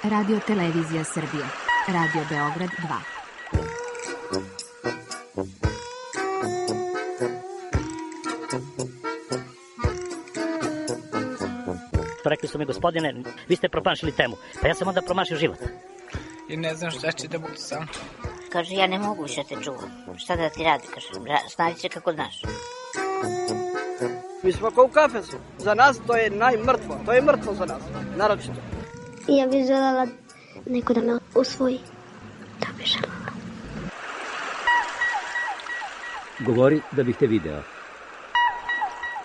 Radio Televizija Srbije. Radio Beograd 2. Rekli su mi, gospodine, vi ste promašili temu. Pa ja sam onda promašio život. I ne znam šta će da budu sam. Kaže, ja ne mogu više te čuvam. Šta da ti radi? Kaže, snađi se kako znaš. Mi smo kao u kafesu. Za nas to je najmrtvo. To je mrtvo za nas. Naročito. Ja bih želela neko da me usvoji. Da bih želela. Govori da bih te video.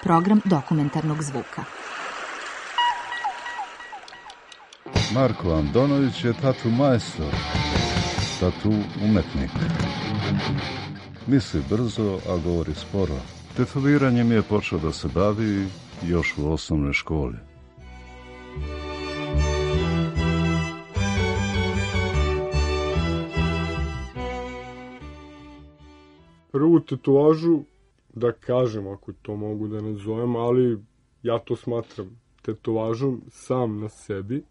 Program dokumentarnog zvuka. Marko Andonović je tatu majstor, tatu umetnik. Misli brzo, a govori sporo. Tetoviranjem je počeo da se bavi još u osnovnoj školi. Prvu tetovažu, da kažem, ako to mogu da nazovem, ali ja to smatram tetovažom sam na sebi,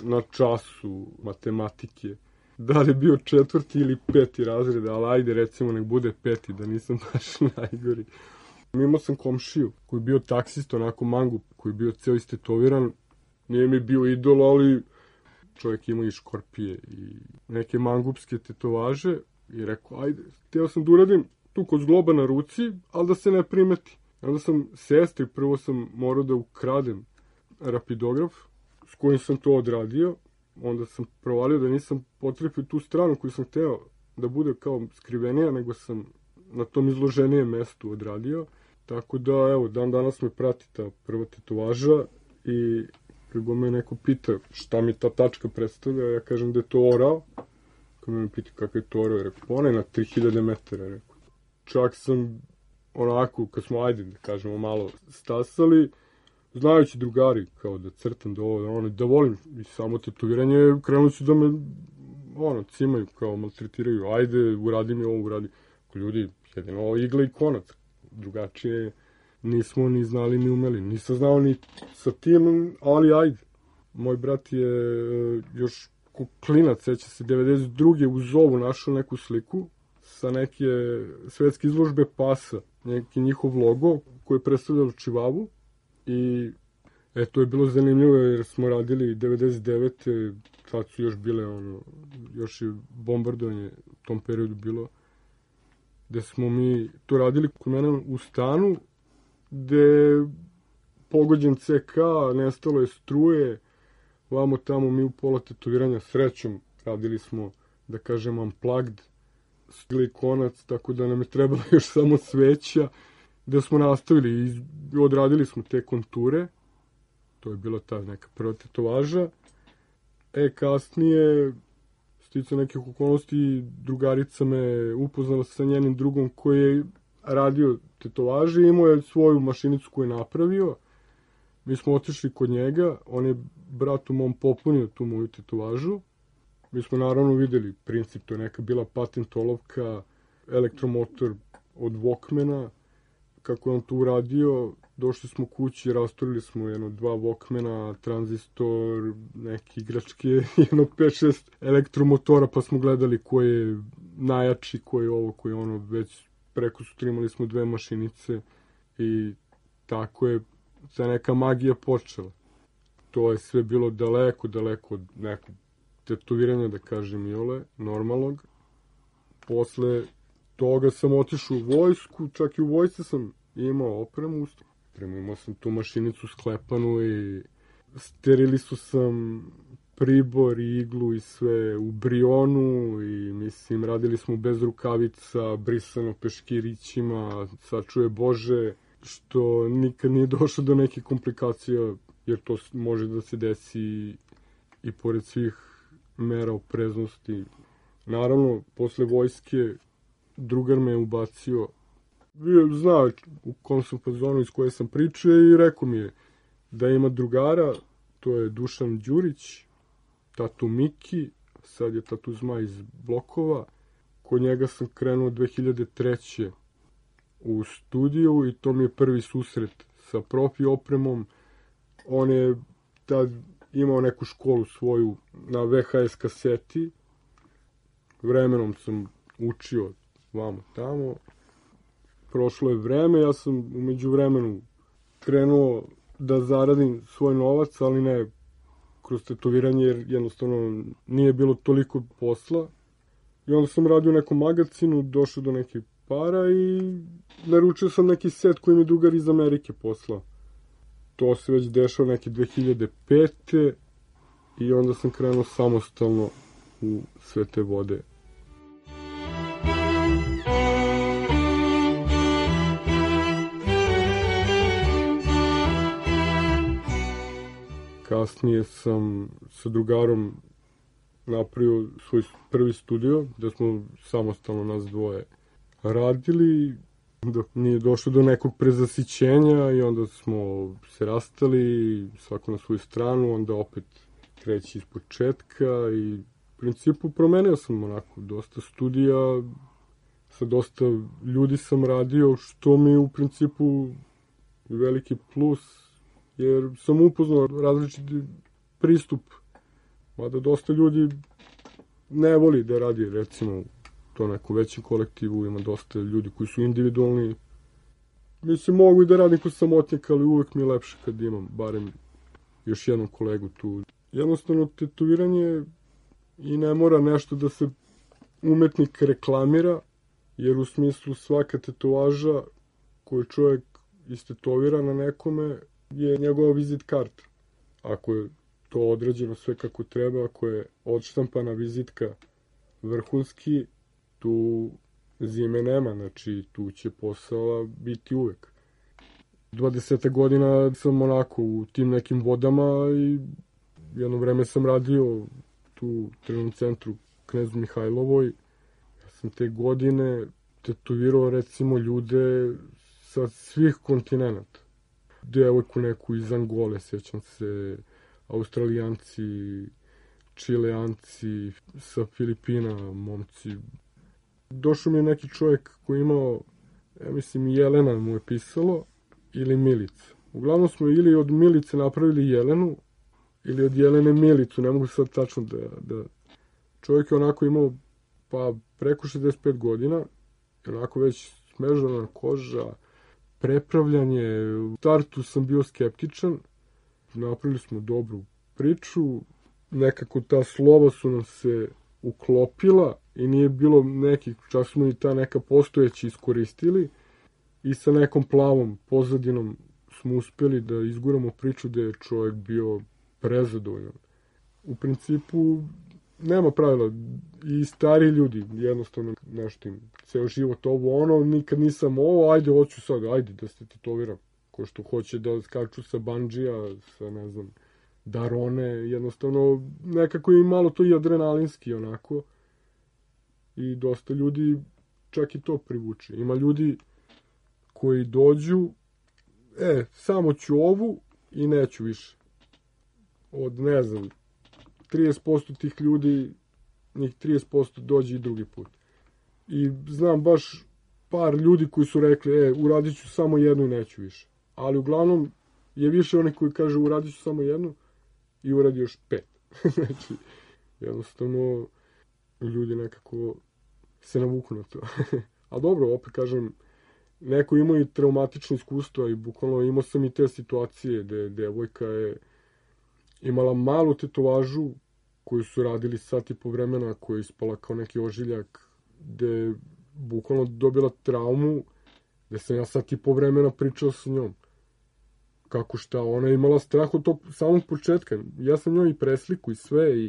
na času matematike. Da li je bio 4. ili 5. razred, ali ajde recimo nek bude 5. da nisam baš najgori. Imao sam komšiju koji je bio taksist, onako mangup, koji je bio ceo istetoviran. Nije mi bio idol, ali čovjek imao i škorpije i neke mangupske tetovaže. I rekao, ajde, hteo sam da uradim tu kod zgloba na ruci, ali da se ne primeti. Onda sam sestri, prvo sam morao da ukradem rapidograf s kojim sam to odradio. Onda sam provalio da nisam potrefio tu stranu koju sam hteo da bude kao skrivenija, nego sam na tom izloženijem mestu odradio. Tako da, evo, dan danas me prati ta prva tetovaža i kada me neko pita šta mi ta tačka predstavlja, ja kažem da je to orao. Kada me pita kakav je to orao, rekao, ona je na 3000 metara, rekao. Čak sam onako, kad smo, ajde, da kažemo, malo stasali, znajući drugari, kao da crtam, da ovo, da volim i samo tetoviranje, krenuli su da me, cimaju, kao maltretiraju, ajde, uradi mi ovo, uradi. Ljudi, jedino igla i konac, drugačije nismo ni znali ni umeli, nisam znao ni sa tim, ali ajde. Moj brat je još klinac, seća se, 92. u Zovu našao neku sliku sa neke svetske izložbe pasa, neki njihov logo koji je predstavljalo Čivavu. I to je bilo zanimljivo jer smo radili 99. Tad su još bile, još je bombardovanje u tom periodu bilo, gde smo mi to radili kod mene u stanu, gde je pogođen CK, nestalo je struje, vamo tamo mi u pola tetoviranja srećom radili smo, da kažem, unplugged, stigli konac, tako da nam je trebalo još samo sveća, gde smo nastavili i odradili smo te konture. To je bila ta neka prva tetovaža. Kasnije, sticao nekih okolnosti, drugarica me upoznala sa njenim drugom koji je radio tetovaže i imao je svoju mašinicu koju je napravio. Mi smo otišli kod njega, on je bratu mom popunio tu moju tetovažu. Mi smo naravno videli princip, to je neka bila patent olovka, elektromotor od Walkmana, kako je on to uradio. Došli smo kući, rasturili smo 2 Walkmana, tranzistor, neke igračke, 5-6 elektromotora, pa smo gledali ko je najjači, ko je ovo, ko je ono, već preko sutra imali smo 2 mašinice i tako je ta neka magija počela. To je sve bilo daleko od nekog tetoviranja, da kažem, iole, normalnog. Posle toga sam otišao u vojsku, čak i u vojsci sam imao opremu. Imao sam tu mašinicu sklepanu i sterilisu sam pribor i iglu i sve u Brionu i mislim radili smo bez rukavica, brisano peškirićima, sačuje Bože, što nikad nije došlo do neke komplikacija jer to može da se desi i pored svih mera opreznosti. Naravno, posle vojske drugar me je ubacio, znao u kom sam fazonu iz koje sam pričao i rekao mi je da ima drugara, to je Dušan Đurić, tatu Miki, sad je tatu Zmaj iz Blokova. Kod njega sam krenuo 2003. u studiju i to mi je prvi susret sa profi opremom. On je tad imao neku školu svoju na VHS kaseti. Vremenom sam učio vamo tamo. Prošlo je vreme, ja sam umeđu vremenu krenuo da zaradim svoj novac, ali ne kroz tetoviranje, jer jednostavno nije bilo toliko posla. I onda sam radio u nekom magazinu, došao do nekih para i naručio sam neki set koji mi drugar iz Amerike poslao. To se već dešao neke 2005. I onda sam krenuo samostalno u sve te vode. Kasnije sam sa drugarom napravio svoj prvi studio, da smo samostalno nas dvoje radili, dok nije došlo do nekog prezasićenja i onda smo se rastali, svako na svoju stranu, onda opet kreći iz početka i u principu promenio sam onako dosta studija, sa dosta ljudi sam radio, što mi u principu veliki plus, jer sam upoznao različiti pristup, mada dosta ljudi ne voli da radi, recimo, to neku većem kolektivu, ima dosta ljudi koji su individualni. Mislim, mogu i da radim kod samotnjaka, ali uvek mi je lepše kad imam barem još jednog kolegu tu. Jednostavno, tetoviranje i ne mora nešto da se umetnik reklamira, jer u smislu svaka tetovaža koju čovjek istetovira na nekome je njegova vizit karta. Ako je to određeno sve kako treba, ako je odštampana vizitka vrhunski, tu zime nema, znači tu će posao biti uvek. 20 godina sam onako u tim nekim vodama i jedno vreme sam radio tu u trening centru Knezu Mihajlovoj. Ja sam te godine tetovirao recimo ljude sa svih kontinenta. Devojku neku iz Angole, sjećam se, Australijanci, Čileanci, sa Filipina, momci. Došao mi je neki čovjek koji je imao, ja mislim, Jelena mu je pisalo, ili Milica. Uglavnom smo ili od Milice napravili Jelenu, ili od Jelene Milicu, ne mogu sad tačno da... Čovjek je onako imao, pa preko 65 godina, onako već smežana koža, prepravljanje. U startu sam bio skeptičan, napravili smo dobru priču, nekako ta slova su nam se uklopila i nije bilo nekih, čak smo i ta neka postojeći iskoristili i sa nekom plavom pozadinom smo uspjeli da izguramo priču da je čovjek bio prezadovoljan. U principu nema pravila, i stari ljudi jednostavno nešto im ceo život ovo ono, nikad nisam ovo, ajde hoću sad, ajde da se tetoviram, ko što hoće da skaču sa bandžija, sa ne znam, darone, jednostavno nekako je malo to i adrenalinski onako i dosta ljudi čak i to privuče. Ima ljudi koji dođu, samo ću ovu i neću više. Od ne znam, 30% tih ljudi, njih 30% dođe i drugi put. I znam baš par ljudi koji su rekli, uradit ću samo jednu i neću više. Ali uglavnom je više onih koji kaže uradit ću samo jednu i uradi još 5. Znači, jednostavno, ljudi nekako se navuku na to. A dobro, opet kažem, neko ima i traumatično iskustvo i bukvalno imao sam i te situacije gde devojka je imala malu tetovažu koju su radili sat i po vremena, koja je ispala kao neki ožiljak, gde je bukvalno dobila traumu, gde sam ja sat i po vremena pričao sa njom. Kako šta, ona je imala strah od tog samog početka. Ja sam njoj i presliku i sve,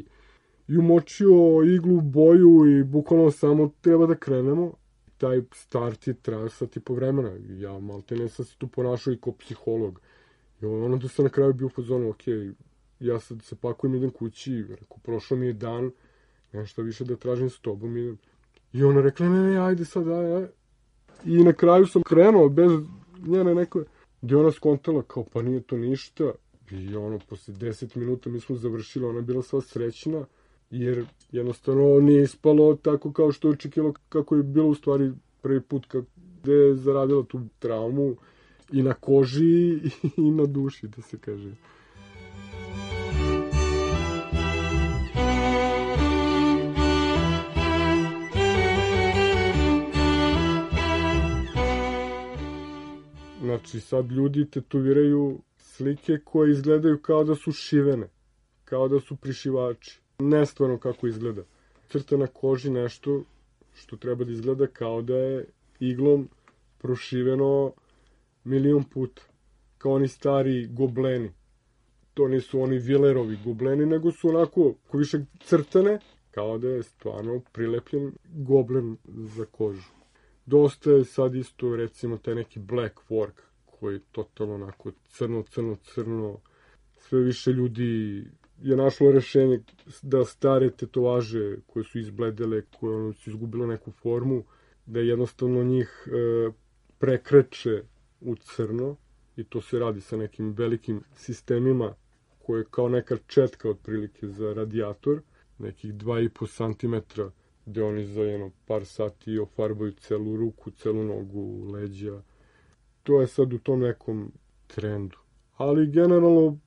i umočio iglu u boju i bukvalno samo treba da krenemo. Taj start je trajao sat i po vremena. Ja maltene sam se tu ponašao i kao psiholog. I ono da sam na kraju bio u fazonu, ja sad se pakujem, idem kući, rekao, prošlo mi je dan, nešto više da tražim s tobom. I ona rekla, ne, ajde sad, ajde. I na kraju sam krenuo bez njene neke, gdje ona skontala, kao, pa nije to ništa. I posle 10 minuta mi smo završili, ona je bila sva srećna, jer jednostavno nije ispalo tako kao što je očekivalo, kako je bilo u stvari prvi put, gde je zaradila tu traumu i na koži i na duši, da se kaže. Znači, sad ljudi tetoviraju slike koje izgledaju kao da su šivene, kao da su prišivači. Nestvarno kako izgleda. Crta na koži nešto što treba da izgleda kao da je iglom prošiveno 1.000.000 puta. Kao oni stari gobleni. To nisu oni Villerovi gobleni, nego su onako više crtane, kao da je stvarno prilepljen goblen za kožu. Dosta je sad isto, recimo, taj neki black work, koji je totalno onako crno. Sve više ljudi je našlo rešenje da stare tetovaže koje su izbledele, koje su izgubile neku formu, da jednostavno njih prekreče u crno i to se radi sa nekim velikim sistemima koje je kao neka četka otprilike za radijator, nekih 2,5 cm, gde oni za par sati ofarbaju celu ruku, celu nogu, leđa. To je sad u tom nekom trendu. Ali generalno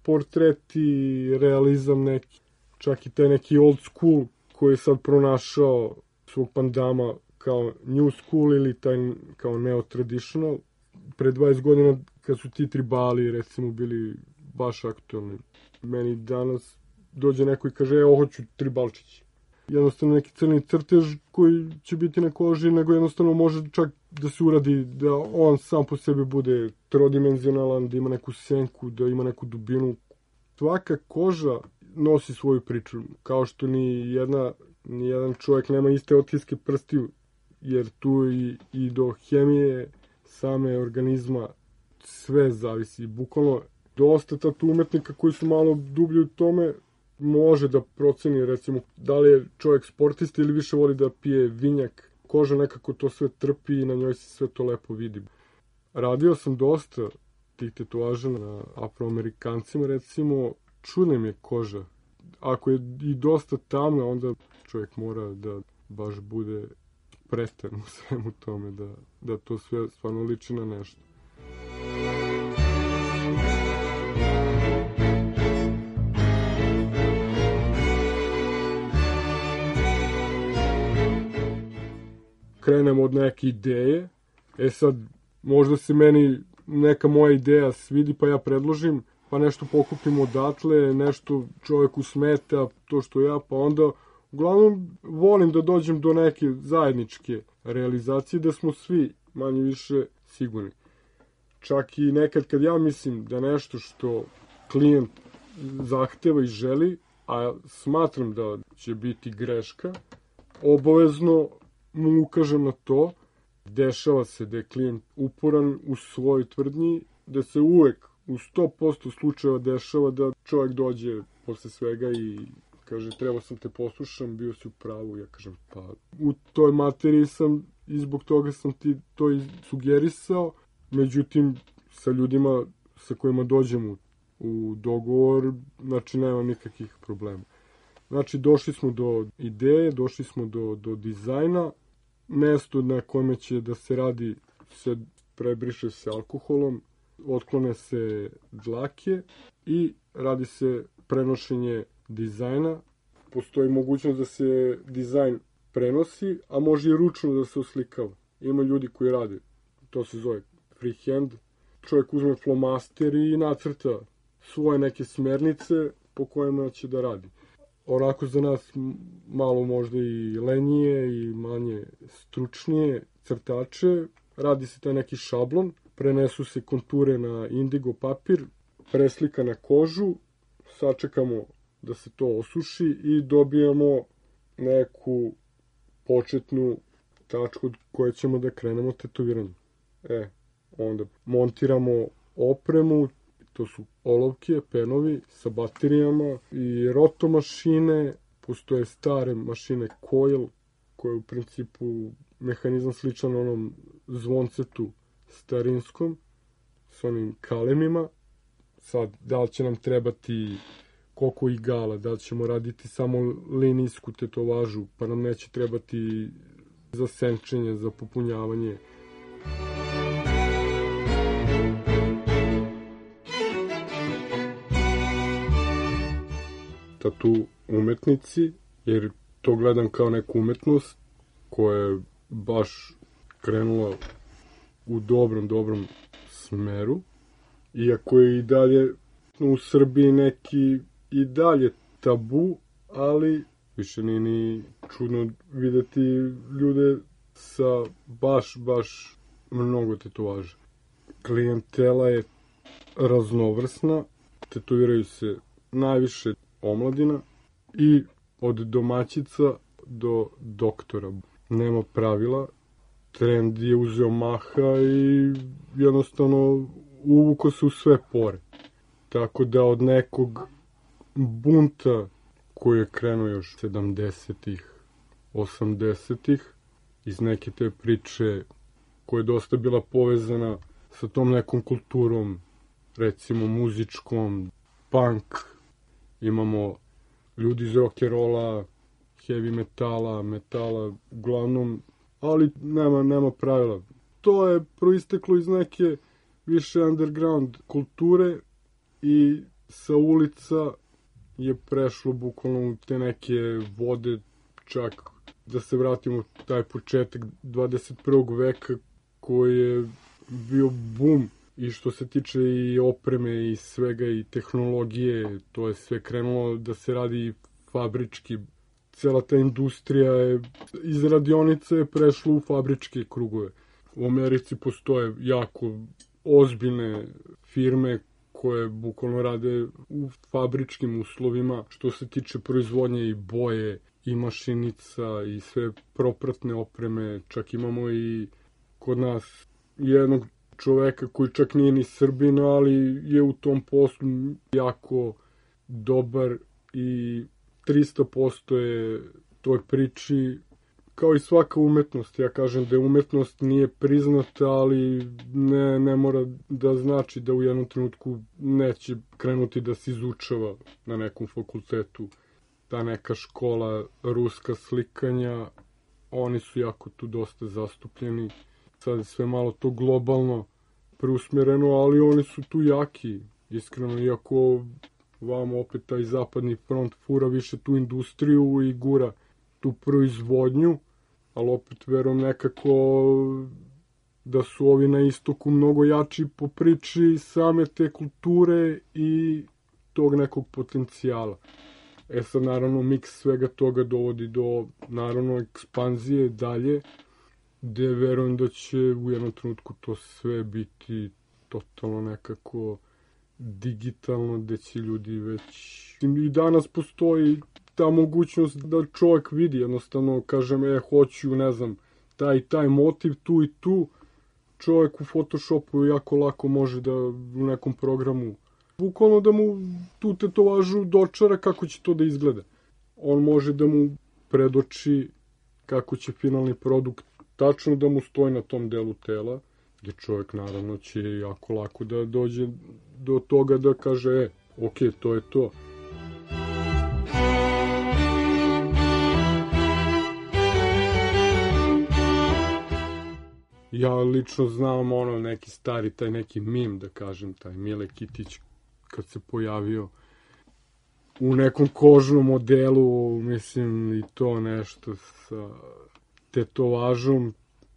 portreti, realizam neki, čak i taj neki old school koji je sad pronašao svog pandama kao new school ili taj kao neo-traditional. Pre 20 godina kad su ti tribali recimo bili baš aktualni. Meni danas dođe neko i kaže, hoću tribalčić. Jednostavno neki crni crtež koji će biti na koži, nego jednostavno može čak da se uradi da on sam po sebi bude trodimenzionalan, da ima neku senku, da ima neku dubinu. Svaka koža nosi svoju priču, kao što ni jedan čovjek nema iste otiske prstiju, jer tu i do hemije same organizma sve zavisi. Bukvalno dosta tatu umetnika koji su malo dublji u tome može da proceni, recimo, da li je čovjek sportista ili više voli da pije vinjak. Koža nekako to sve trpi i na njoj se sve to lepo vidi. Radio sam dosta tih tetovaža na Afroamerikancima, recimo, čudna mi je koža. Ako je i dosta tamna, onda čovjek mora da baš bude prestan u svemu tome, da to sve stvarno liči na nešto. Krenemo od neke ideje. Sad, možda se meni neka moja ideja svidi, pa ja predložim, pa nešto pokupim odatle, nešto čovjeku smeta, to što ja, pa onda, uglavnom, volim da dođem do neke zajedničke realizacije, da smo svi manje više sigurni. Čak i nekad kad ja mislim da nešto što klijent zahteva i želi, a smatram da će biti greška, obavezno mu ukažem na to. Dešava se da je klijent uporan u svojoj tvrdnji, da se uvek u 100% slučajeva dešava da čovjek dođe posle svega i kaže, trebao sam te poslušam, bio si u pravu. Ja kažem, pa u toj materiji sam i zbog toga sam ti to i sugerisao. Međutim, sa ljudima sa kojima dođem u dogovor, znači nemam nikakvih problema. Znači, došli smo do ideje, došli smo do dizajna. Mesto na kome će da se radi se prebriše se alkoholom, otklone se dlake i radi se prenošenje dizajna. Postoji mogućnost da se dizajn prenosi, a može i ručno da se oslikava. Ima ljudi koji rade, to se zove freehand. Čovjek uzme flomaster i nacrta svoje neke smernice po kojima će da radi. Onako za nas malo možda i lenije i manje stručnije crtače, radi se taj neki šablon, prenesu se konture na indigo papir, preslika na kožu, sačekamo da se to osuši i dobijamo neku početnu tačku od koje ćemo da krenemo tetoviranje. Onda montiramo opremu, to su olovke, penovi sa baterijama i roto mašine, postoje stare mašine coil, koje je u principu mehanizam sličan onom zvoncetu starinskom, s onim kalemima. Sad, da li će nam trebati koliko igala, da li ćemo raditi samo linijsku tetovažu, pa nam neće trebati za senčenje, za popunjavanje. Tatu umetnici, jer to gledam kao neku umetnost koja je baš krenula u dobrom smeru, iako je i dalje u Srbiji neki i dalje tabu, ali više nije ni čudno videti ljude sa baš mnogo tetovaža. Klijentela je raznovrsna, tetoviraju se najviše omladina i od domaćica do doktora. Nema pravila, trend je uzeo maha i jednostavno uvuko se u sve pore. Tako da od nekog bunta koji je krenuo još 70-ih, 80-ih, iz neke te priče koja je dosta bila povezana sa tom nekom kulturom, recimo muzičkom, punk, imamo ljudi iz rock'n'rolla, heavy metala, uglavnom, ali nema pravila. To je proisteklo iz neke više underground kulture i sa ulica je prešlo bukvalno u te neke vode, čak da se vratimo u taj početak 21. veka koji je bio bum i što se tiče i opreme i svega i tehnologije, to je sve krenulo da se radi fabrički. Cela ta industrija je iz radionica je prešla u fabričke krugove. U Americi postoje jako ozbiljne firme koje bukvalno rade u fabričkim uslovima što se tiče proizvodnje i boje i mašinica i sve propratne opreme. Čak imamo i kod nas jednog čoveka koji čak nije ni Srbin, ali je u tom poslu jako dobar i 300% je toj priči. Kao i svaka umetnost, ja kažem da umetnost nije priznata, ali ne mora da znači da u jednom trenutku neće krenuti da se izučava na nekom fakultetu. Ta neka škola ruska slikanja, oni su jako tu dosta zastupljeni. Sad je sve malo to globalno preusmjereno, ali oni su tu jaki, iskreno, iako vam opet taj zapadni front fura više tu industriju i gura tu proizvodnju, ali opet verujem nekako da su ovi na istoku mnogo jači po priči same te kulture i tog nekog potencijala. Sad naravno miks svega toga dovodi do naravno ekspanzije dalje, gde verujem da će u jednom trenutku to sve biti totalno nekako digitalno, gde će ljudi već... I danas postoji ta mogućnost da čovjek vidi, jednostavno kažem, hoću, ne znam, taj motiv tu i tu, čovjek u Photoshopu jako lako može da u nekom programu, bukvalno da mu tu tetovažu dočara kako će to da izgleda. On može da mu predoči kako će finalni produkt tačno da mu stoji na tom delu tela, gde čovjek naravno će jako lako da dođe do toga da kaže, ok, to je to. Ja lično znam neki stari, taj neki mim, da kažem, taj Mile Kitić kad se pojavio u nekom kožnom modelu, mislim i to nešto sa tetovažom,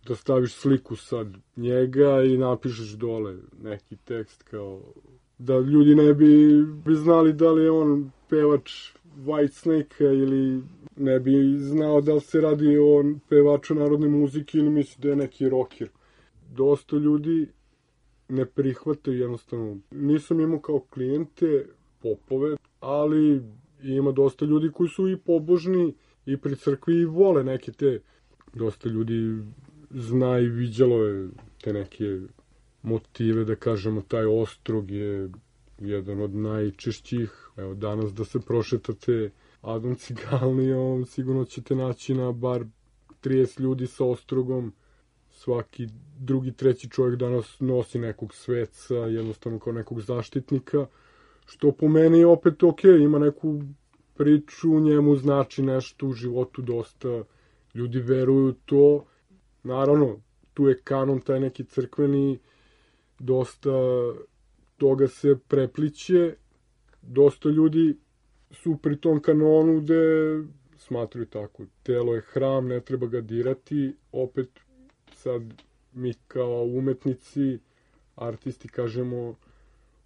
da staviš sliku sad njega i napišeš dole neki tekst kao da ljudi ne bi znali da li je on pevač Whitesnake-a ili ne bi znao da li se radi o pevaču narodne muzike ili misli da je neki rocker. Dosta ljudi ne prihvataju jednostavno. Nisam imao kao klijente popove, ali ima dosta ljudi koji su i pobožni i pri crkvi i vole neke te. Dosta ljudi zna i viđalo je te neke motive, da kažemo, taj ostrog je jedan od najčešćih. Evo, danas da se prošetate Adom Cigalnijom, sigurno ćete naći na bar 30 ljudi sa ostrogom. Svaki drugi, treći čovjek danas nosi nekog sveca, jednostavno kao nekog zaštitnika, što po meni je opet ok, ima neku priču, njemu znači nešto u životu, dosta ljudi veruju to. Naravno, tu je kanon taj neki crkveni, dosta toga se prepliće, dosta ljudi su pri tom kanonu gde smatruju tako, telo je hram, ne treba ga dirati, opet sad mi kao umetnici artisti kažemo,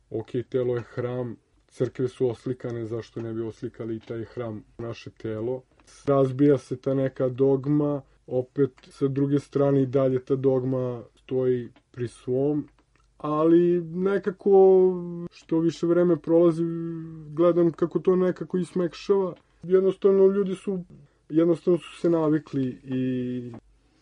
ok, telo je hram, crkve su oslikane, zašto ne bi oslikali i taj hram, naše telo. Razbija se ta neka dogma, opet sa druge strane i dalje ta dogma stoji pri svom, ali nekako što više vreme prolazi gledam kako to nekako ismekšava. Jednostavno ljudi su se navikli i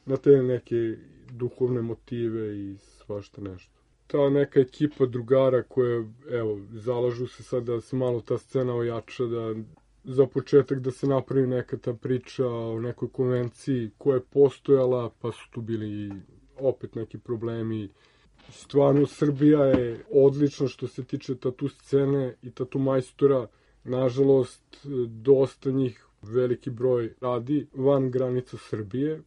na te neke duhovne motive i svašta nešto. Ta neka ekipa drugara koja, evo, zalažu se sad da se malo ta scena ojača, da za početak da se napravi neka ta priča o nekoj konvenciji koja je postojala, pa su tu bili opet neki problemi. Stvarno, Srbija je odlična što se tiče tatu scene i tatu majstora. Nažalost, dosta njih, veliki broj, radi van granica Srbije.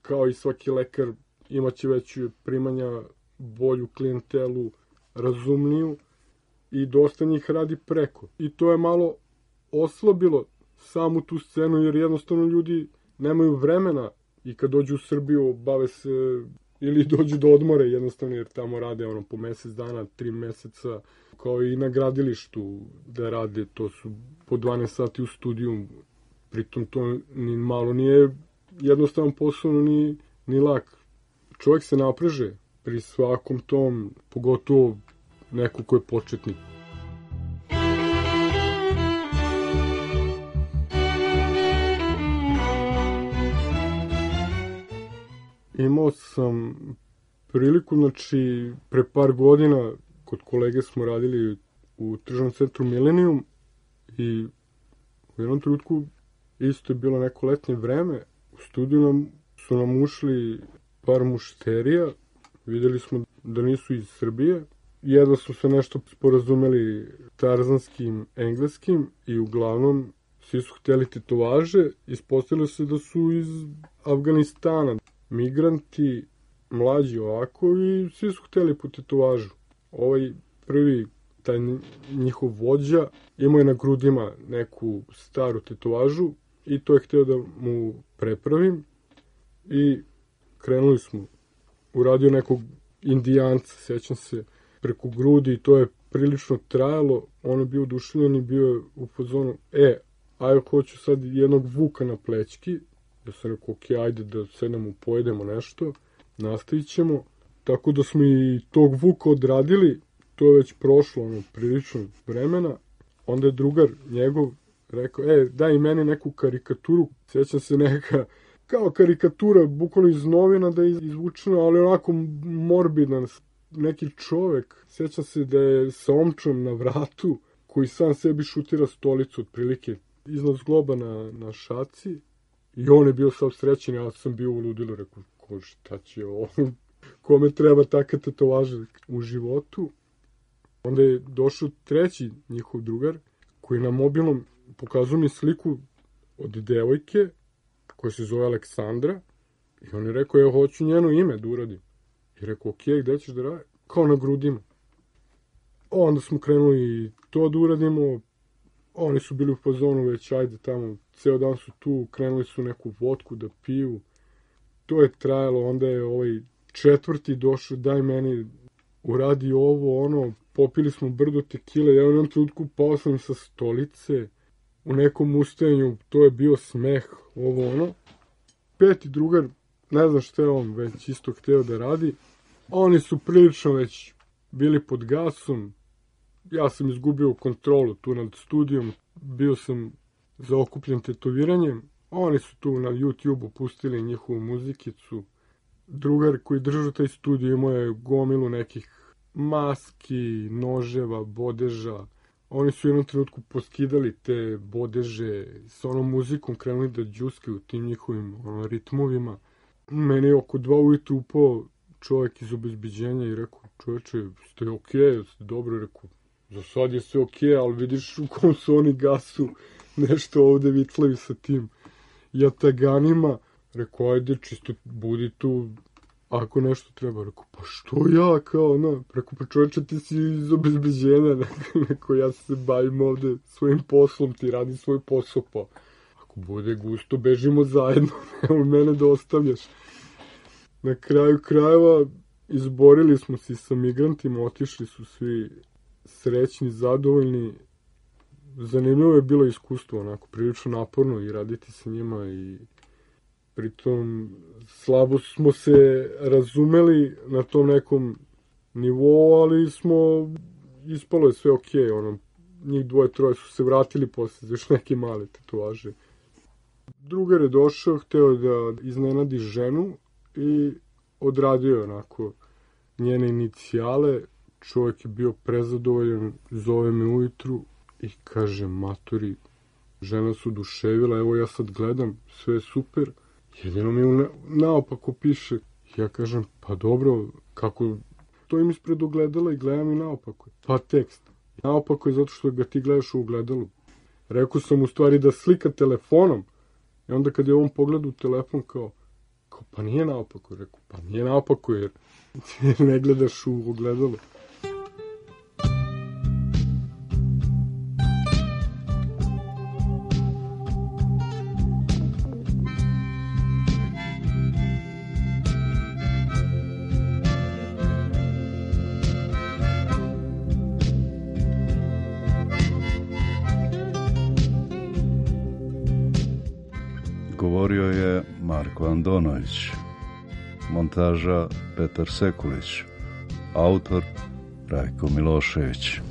Kao i svaki lekar, imaće veće primanja, bolju klijentelu, razumniju i dosta njih radi preko. I to je malo oslabilo samu tu scenu, jer jednostavno ljudi nemaju vremena i kad dođu u Srbiju bave se ili dođu do odmore jednostavno, jer tamo rade po mesec dana, 3 meseca, kao i na gradilištu da rade, to su po 12 sati u studiju, pritom to ni malo nije jednostavan posao, ni lak. Čovjek se napreže pri svakom tom, pogotovo neko ko je početnik. Imao sam priliku, znači, pre par godina kod kolege smo radili u tržnom centru Millennium i u jednom trenutku isto je bilo neko letnje vreme. U studiju su nam ušli par mušterija, videli smo da nisu iz Srbije. Jedva su se nešto sporazumeli tarzanskim, engleskim i uglavnom svi su htjeli tetovaže. Ispostavilo se da su iz Afganistana. Migranti, mlađi ovako i svi su htjeli po tetovažu. Ovaj prvi, taj njihov vođa, imao je na grudima neku staru tetovažu i to je htio da mu prepravim i krenuli smo. Uradio nekog indijanca, sjećam se, preko grudi i to je prilično trajalo. On je bio oduševljen i bio je u fazonu, ajde, hoću sad jednog vuka na plećki. Ja sam rekao, ok, ajde da sednemo, pojedemo nešto, nastavit ćemo. Tako da smo i tog vuka odradili, to je već prošlo prilično vremena. Onda je drugar njegov rekao, daj meni neku karikaturu. Sjećam se neka, kao karikatura, bukvalno iz novina da je izvučena, ali onako morbidan. Neki čovek, sjećam se da je sa omčom na vratu, koji sam sebi šutira stolicu otprilike iznad zgloba na šaci. I on je bio sav srećen, ja sam bio u ludilu, rekao, šta će ovo, kome treba takve tetovaže u životu. Onda je došao treći njihov drugar, koji na mobilnom pokazao mi sliku od devojke, koja se zove Aleksandra, i on je rekao, ja hoću njeno ime da uradim. I rekao, ok, gde ćeš da radi? Kao na grudima. Onda smo krenuli to da uradimo, oni su bili u fazonu već, ajde tamo, ceo dan su tu, krenuli su neku vodku da piju. To je trajalo, onda je ovaj četvrti došao, daj meni, uradi ovo, ono, popili smo brdo tekile, ja u jednom trenutku pao sam sa stolice, u nekom ustajanju, to je bio smeh, ovo ono. Peti drugar, ne znam šta je on već isto hteo da radi, oni su prilično već bili pod gasom, ja sam izgubio kontrolu tu nad studijom, bio sam zaokupljen tetoviranjem, oni su tu na YouTube-u pustili njihovu muzikicu. Drugar koji držao taj studio imao je gomilu nekih maski, noževa, bodeža. Oni su u jednom trenutku poskidali te bodeže, s onom muzikom krenuli da džuskaju tim njihovim ritmovima. Meni je oko 2 ujutru upao čovjek iz obezbeđenja i rekao, čovječe, ste okej, ste dobro, rekao, za sad je sve okej, ali vidiš u kom su oni gasu, nešto ovde vitlavi sa tim jataganima. Rekao, ajde, čisto budi tu, ako nešto treba. Rekao, pa što ja, kao, no. Rekao, pa čovječe, ti si iz obezbeđenja. Rekao, ja se bavim ovde svojim poslom, ti radi svoj posao, pa ako bude gusto, bežimo zajedno, nemoj mene da ostavljaš. Na kraju krajeva, izborili smo se sa migrantima, otišli su svi srećni, zadovoljni. Zanimljivo je bilo iskustvo, onako, prilično naporno i raditi sa njima i pritom slabo smo se razumeli na tom nekom nivou, ali ispalo je sve okej, ono, njih dvoje, troje su se vratili posle za još neke male tetovaže. Drugar je došao, hteo da iznenadi ženu i odradio je onako njene inicijale. Čovjek je bio prezadovoljan, zove me ujutru i kaže, matori, žena se oduševila, evo ja sad gledam, sve je super, jedino mi naopako piše. Ja kažem, pa dobro, kako stojim ispred ogledala i gledam i naopako. Pa tekst. Naopako je zato što ga ti gledaš u ogledalu. Rekao sam u stvari da slika telefonom. I onda kad je on pogledao telefon kao pa nije naopako. Rekao, pa nije naopako jer ne gledaš u ogledalu. Govorio je Marko Andonović, montaža Petar Sekulić, autor Rajko Milošević.